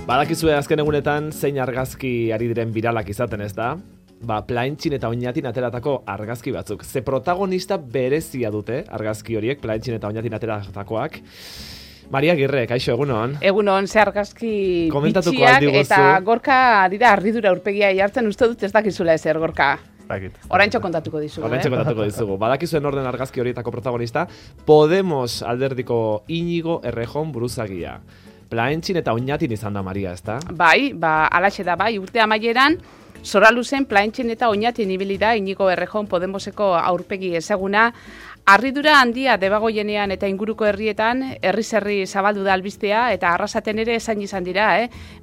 Badakizue azken egunetan zein argazki ari diren biralak izaten, ez da? Plaintxin eta Oñatin ateratako argazki batzuk. Ze protagonista berezia dute argazki horiek, Plaintxin eta Oñatin ateratakoak. Maria Agirre, kaixo, egunon? Egunon, ze argazki bitxiak eta Gorka dira arridura aurpegia jartzen, uste dut ez dakizula ezer, Gorka. Oraintxo kontatuko dizugu. Oraintxo kontatuko dizugu. Badakizuen orden argazki horietako protagonista, Podemos alderdiko Iñigo Errejón buruzagia. Plaintxin eta Oñatin izan da, Maria, ez da? Bai, alaxe da, bai, urte amaieran, Zoraluzen Plaintxin eta Oñatin ibili da Iñigo Errejón Podemoseko aurpegi ezaguna. Harridura handia Debagoienean eta inguruko herrietan, herriz-herri zabaldu da albistea, eta Arrasaten ere esan izan dira,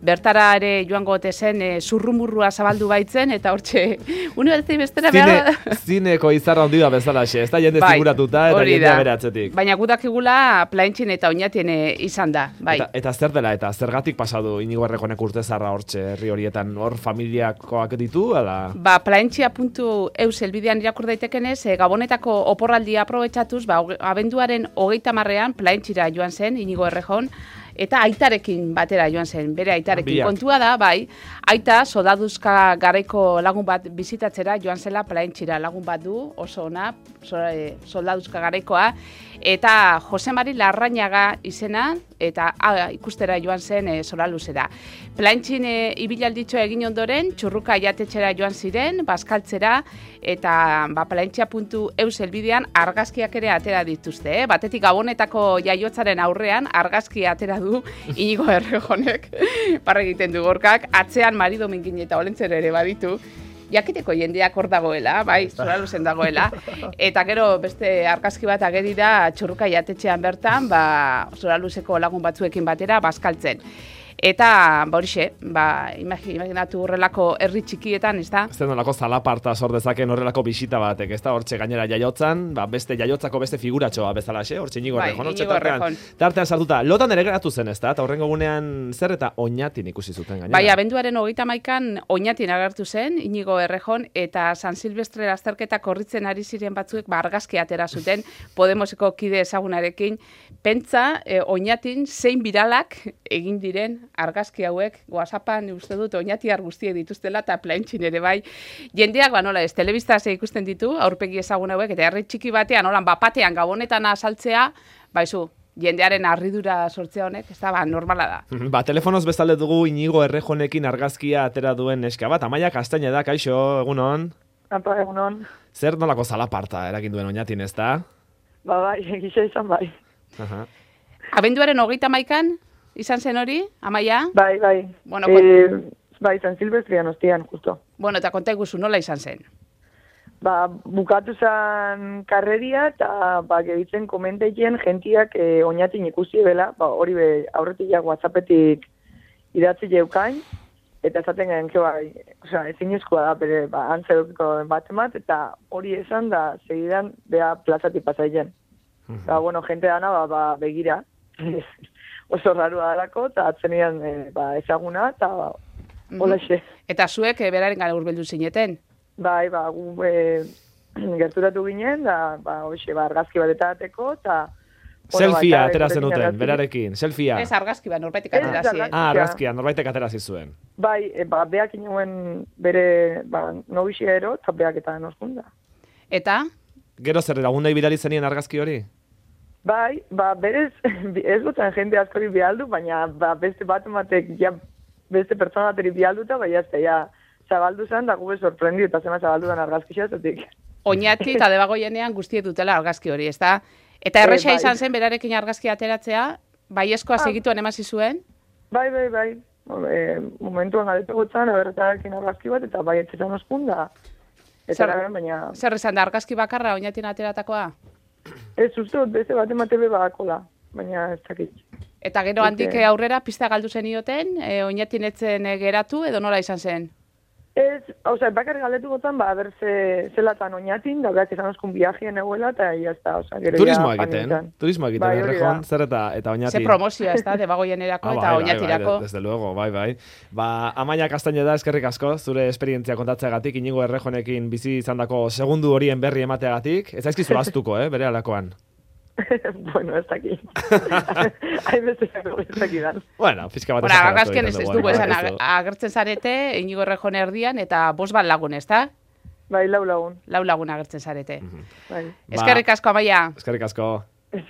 bertara ere joango ote zen zurrumurrua zabaldu baitzen, eta hortxe, unibertsitei bestera behar da. Zineko izarra handi da bezalaxe, ez da jende ziguratuta eta jendea bere atzetik. Baina gudakigula Plaintxin eta Oñatin izan da, bai. Eta zer dela, eta zergatik pasadu Iñigo Errejonek urtezarra hortxe herri horietan, hor familiakoak ditu, ala? Plaintxia.eu helbidean irakur daitekenez, Gabonetako oporraldia aprobetxatuz, abenduaren 30ean Plaintxira joan zen, Iñigo Errejón, eta aitarekin batera joan zen, bere aitarekin. Kontua da, bai, aita soldaduzka garaiko lagun bat bizitatzera joan zela Plaintxira, lagun bat du, oso ona, soldaduzka garaikoa, eta Jose Mari Larrañaga izena, eta ikustera joan zen Zoraluzera. Plaintxin ibilalditxo egin ondoren, Txurruka jatetxera joan ziren, bazkaltzera, eta Plaintxia.eu helbidean argazkiak ere atera dituzte. Batetik Gabonetako jaiotzaren aurrean argazkia atera du Iñigo Errejonek, parra egiten du Gorkak, atzean Mari Domingin eta Olentzero ere baditu. Jakiteko jendeak hor dagoela, bai, Zoraluzen dagoela, eta gero beste argazki bat ageri da Txurruka jatetxean bertan, Zoraluzeko lagun batzuekin batera, bazkaltzen. Eta, horixe, imaginatu horrelako herri txikietan, ez da? Ez da nolako zalaparta sor dezaken horrelako bisita batek, ez da? Hortxe gainera jaiotzan, beste jaiotzako beste figuratxoa bezalaxe, hortxe Iñigo Errejón, hortxe tartean sartuta. Lotan ere geratu zen, ez da? Eta horrengo gunean zer eta Oñatin ikusi zuten gainera? Bai, abenduaren 31an Oñatin agertu zen, Iñigo Errejón, eta San Silvestre lasterketa korritzen ari ziren batzuek argazki atera zuten Podemoseko kide ezagunarekin. Pentsa, Oñatin zein biralak egin diren argazki hauek, WhatsAppan uste dut Oñatiar guztiek dituztela eta Plaintxin ere bai. Jendeak, nola ez, telebistaz ikusten ditu, aurpegi ezagun hauek, eta herri txiki batean, nolan, bapatean Gabonetan azaltzea, baizu, jendearen harridura sortzea honek, ez da, normala da. Telefonoz bezalde dugu Iñigo Errejonekin argazkia atera duen neska bat. Amaia Kastaina da, kaixo, egunon? Apa, egunon. Zer nolako zalaparta eragin duen Oñatin, ez da? Bai, egisa izan bai. Abenduaren 31an? Izan zen hori, Amaia? Bai. Bueno, bai, San Silvestrian ostian, justo. Bueno, eta konta iguzu, nola izan zen? Bukatu zen karreria, eta gehitzen komenteien gentiak Oñatin ikusi bela, hori aurretik WhatsAppetik idatzi jeukain, eta esaten garen, ezin eskua da, bere, antzerukiko bat, eta hori esan da, segidan, beha plazatik pasaien. Bueno, jente dana, begira, oso rarua dalako, eta atzenian ezaguna, eta holaxe. Eta zuek beraren gara urbildu zineten? Bai, gu gerturatu ginen, da, argazki bat eta ateko, eta... Selfia aterazen duten, berarekin, selfia. Ez argazki bat, norbaitek aterazi. Argazkia, norbaitek aterazi zuen. Bai, beak inoen bere nobixia ero, eta beak eta noskunda. Eta? Gero zer lagundai bidali zenien argazki hori? Bai, berez, ez dutzen jende askori bialdu, baina beste bat ematek, beste pertsona bateri bialduta, bai zabaldu zen, da gube sorprendi, eta zema zabaldu den argazki xazatik. Oñati eta Debagoienean guztiet dutela argazki hori, ez da? Eta erresa izan zen berarekin argazki ateratzea, baieskoa segituen emasi zuen? Bai. Momentuan galetu gutzen, aberretarekin argazki bat, eta bai etxetan oskunda. Zer izan da argazki bakarra Oñatin ateratakoa? Ez uste, beste bat ematebe badakola, baina ez dakit. Eta gero handik aurrera pista galdu zen ioten, Oñatin etzen geratu, edo nola izan zen? Ez, bakarri galdetu gotan, zelatan Oñatin, da beak esan oskun viajien eguela, eta jazta, gero turismoa egiten, Errejón, zer eta Oñatin. Ze promozioa, ez da, Debagoienerako eta Oñatirako. Desde luego, bai. Amaia Kastaina da, eskerrik asko, zure esperientzia kontatzeagatik, Iñigo Errejonekin bizi izandako segundu horien berri emateagatik, ez zaizkizu astuko, bere alakoan. Bueno, ez daki. Hain bezalako ez dakidan. Bueno, pizka bat Bueno, argazkian ez dugu esan agertzen zarete, Inigo Errejón erdian, eta 5 lagun, ez da? Bai, 4 lagun. 4 lagun agertzen zarete. Bai. Eskerrik asko, Amaia. Eskerrik asko. Ez